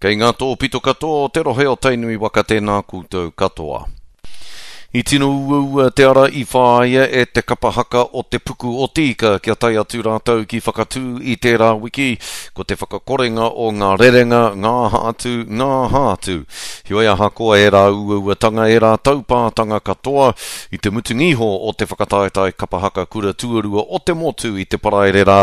Kei ngā tōpito katoa o te rohe o Tainui waka tēnā koutou katoa. I tino uaua te ara i whāia e te kapa haka o Te Puku o Te Ika kia tae atu rātou ki Whakatū i tērā wiki, ko te whakakorenga o ngā rerenga, ngā aha atu, ngā aha atu. Heoi ahakoa ērā uauatanga, ērā taupātanga katoa, i te mutunga iho o te whakataetae kapa haka kura tuarua o te motu i te Paraire rā,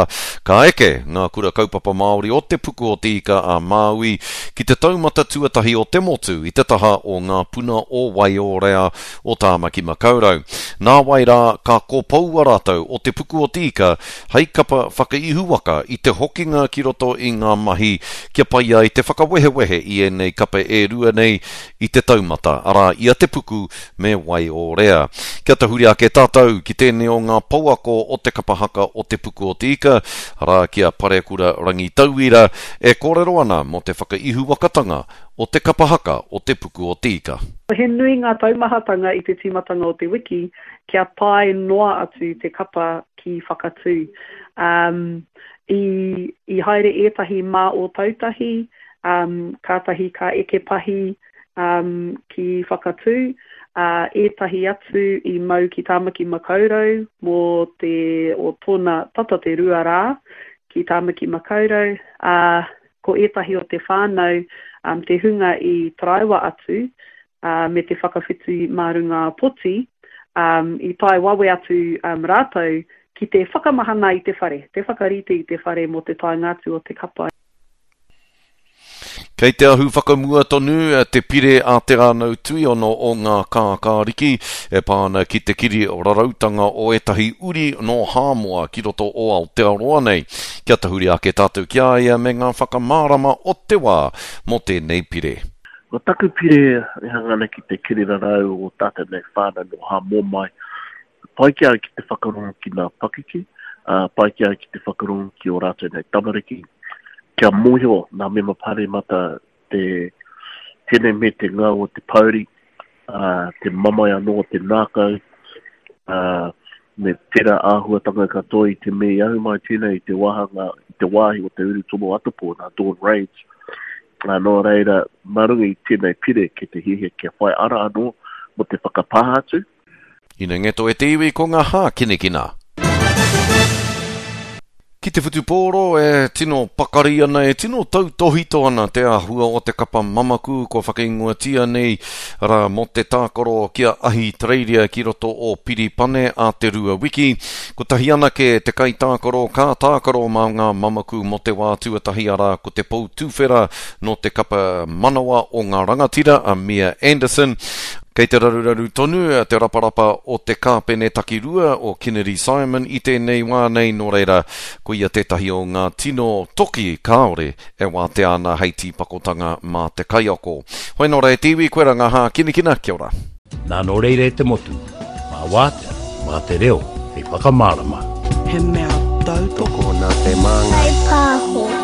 ka eke ngā kura kaupapa Māori o Te Puku o Te Ika a Māui ki te taumata tuatahi o te motu i te taha o Ngā Puna o Waiōrea o Tāmaki Makaurau. Nāwai rā, ka kopoua rātou o Te Puku o Te Ika hei kapa whakaihuwaka i te hokinga ki roto i ngā mahi kia pai ai te whakawehewehe i ēnei kapa e rua nei i te taumata, arā, i a Te Puku me Waiōrea. Kia tahuri ake tātou ki tēnei o ngā pouako o te kapa haka o Te Puku o Te Ika, arā, ki a Parekura Rangitauira, e kōrero ana mō te whakaihuwakatanga o te kapa haka o Te Puku o Te Ika. He nui ngā taumahatanga i te tīmatanga o te wiki kia tae noa atu te kapa ki Whakatū. Um, i, i haere ētahi mā Ōtautahi, um, kātahi ka eke pahi um, ki Whakatū, ā, ētahi atu i mau ki Tāmaki Makaurau mō te, o tōna tata te rua rā ki Tāmaki Makaurau, ā, ko ētahi o te whānau, um, te hunga i taraiwa atu, ā, me te whakawhiti mā runga poti, um, i tae wawe atu um, rātou ki te whakamahana i te whare, te whakarite i te whare mō te taenga atu o te kapa. Kei te ahu whakamua tonu te pire a Te Rānau Tuiono o Ngā Kākāriki e pā ana ki te kiri rarautanga o ētahi uri nō Hāmoa ki roto o Aotearoa nei. Kia tahuri ake tātou ki a ia me ngā whakamārama o te wā mō tēnei pire. Ko taku pire e hanga ana ki te kiri rarau o tātou nei whānau nō Hāmoa mai, pai ki a au ki te whakarongo ki ngā pakeke, ā, pai ki a au ki te whakarongo ki ō rātou nei tamariki, kia mōhio ngā mema pāremata te tene me te ngau o te pouri, ā, te mamae anō o te nākau, ā, me tērā āhuatanga katoa i te mea i ahu mai tēnei i te wāhanga, i te wāhi o te urutomo atapō nā Dawn Raids. Ā, nō reira, mā runga i tēnei pire kei te hiahia kia whai ara anō mō te whakapāha atu. Ina ngeto e te iwi ko nga hākinakina. Ki te whutupōro e tino pakari ana, e tino tautōhito ana te āhua o te kapa mamaku kua whakaingoatia nei rā mō te tākaro ki a Ahitereiria ki roto o Piripane a te rua wiki. Kotahi anake te kaitākaro ka tākaro mā ngā mamaku mō te wā tuatahi arā ko te pou tuwhera nō te kapa manawa o ngā rangatira a Mia Anderson. Kei te raruraru tonu te raparapa o te kāpene takirua o Kennedy Simon i tēnei wā nei, nō reira, koia tētahi o ngā tino toki kāore e wātea ana hei tīpakotanga mā te kaiako. Hoi nō rā e te iwi, koe rā ngā hākinakina, kia ora. Nā nō reira e te motu, mā wātea, mā te reo hei whakamārama. He mea tautoko. Tokona te māngai. Whai pāho.